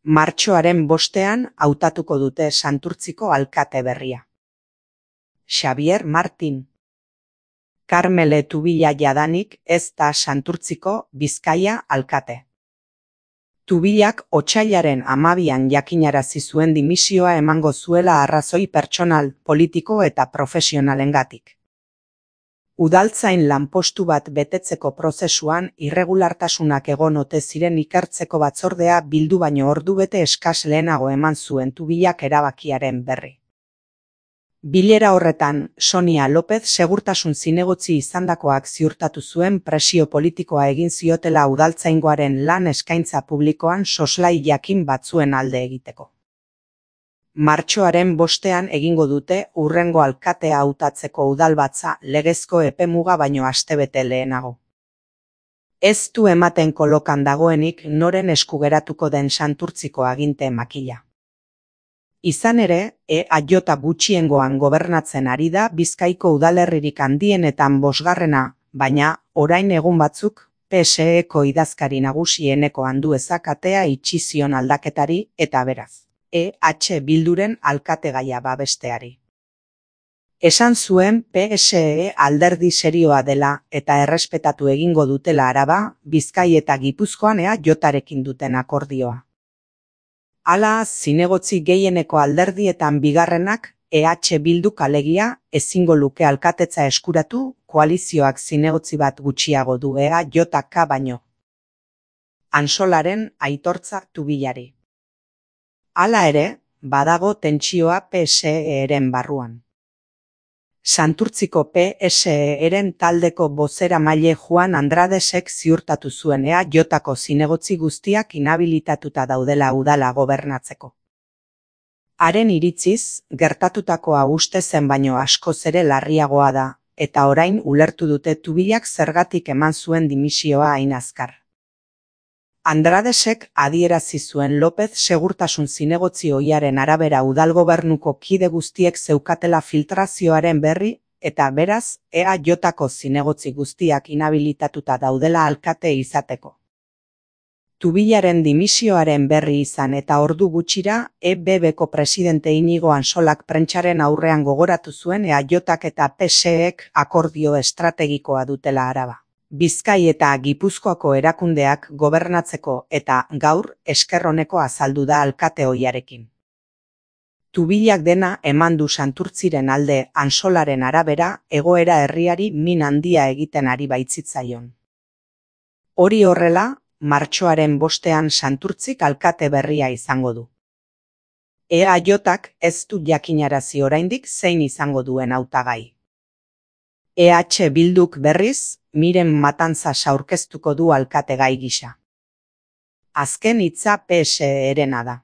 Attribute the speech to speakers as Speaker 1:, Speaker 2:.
Speaker 1: Martxoaren 5ean hautatuko dute Santurtziko alkate berria. Xabier Martin. Karmele Tubilla jadanik ez da Santurtziko Bizkaia alkate. Tubillak otsailaren 12an jakinarazi zuen dimisioa emango zuela arrazoi pertsonal, politiko eta profesionalengatik. Udaltzain lanpostu bat betetzeko prozesuan irregulartasunak egon ote ziren ikertzeko batzordea bildu baino ordubete eskas lehenago eman zuen Tubillak erabakiaren berri. Bilera horretan, Sonia López segurtasun zinegotzi izandakoak ziurtatu zuen presio politikoa egin ziotela udaltzaingoaren lan eskaintza publikoan soslai jakin batzuen alde egiteko. Martxoaren 5ean egingo dute hurrengo alkatea hautatzeko udalbatza legezko epemuga baino astebete lehenago. Ez du ematen kolokan dagoenik noren esku geratuko den Santurtziko aginte makila. Izan ere, EAJ gutxiengoan gobernatzen ari da Bizkaiko udalerririk handienetan 5garrena, baina, orain egun batzuk, PSE-ko idazkari nagusieneko anduezak atea itxi zion aldaketari eta beraz, EH Bilduren alkategaia babesteari. Esan zuen PSE alderdi serioa dela eta errespetatu egingo dutela Araba, Bizkai eta Gipuzkoan EAJarekin duten akordioa. Hala, zinegotzi gehieneko alderdietan bigarrenak, EH Bilduk alegia, ezingo luke alkatetza eskuratu, koalizioak zinegotzi bat gutxiago du EAJK baino. Ansolaren aitortza Tubillari. Hala ere, badago tentsioa PSE-ren barruan. Santurtziko PSE-ren taldeko bozeramaile Juan Andradesek ziurtatu zuen EAJko zinegotzi guztiak inhabilitatuta daudela udala gobernatzeko. Haren iritziz, gertatutakoa uste zen baino askoz ere larriagoa da, eta orain ulertu dute Tubillak zergatik eman zuen dimisioa hain azkar. Andradesek adierazi zuen López segurtasun zinegotzi ohiaren arabera udalgobernuko kide guztiek zeukatela filtrazioaren berri eta beraz EAJko zinegotzi guztiak inhabilitatuta daudela alkate izateko. Tubillaren dimisioaren berri izan eta ordu gutxira EBBko presidente Inigo Ansolak prentsaren aurrean gogoratu zuen EAJak eta PSEek akordio estrategikoa dutela Araba, Bizkai eta Gipuzkoako erakundeak gobernatzeko eta gaur esker oneko azaldu da alkate ohiarekin. Tubillak dena eman du Santurtziren alde Ansolaren arabera egoera herriari min handia egiten ari baitzitzaion. Hori horrela, martxoaren 5ean Santurtzik alkate berria izango du. EAJak ez du jakinarazi oraindik zein izango duen hautagai. EH Bilduk berriz, Miren Matanzas aurkeztuko du alkategai gisa. Azken hitza PSE-rena da.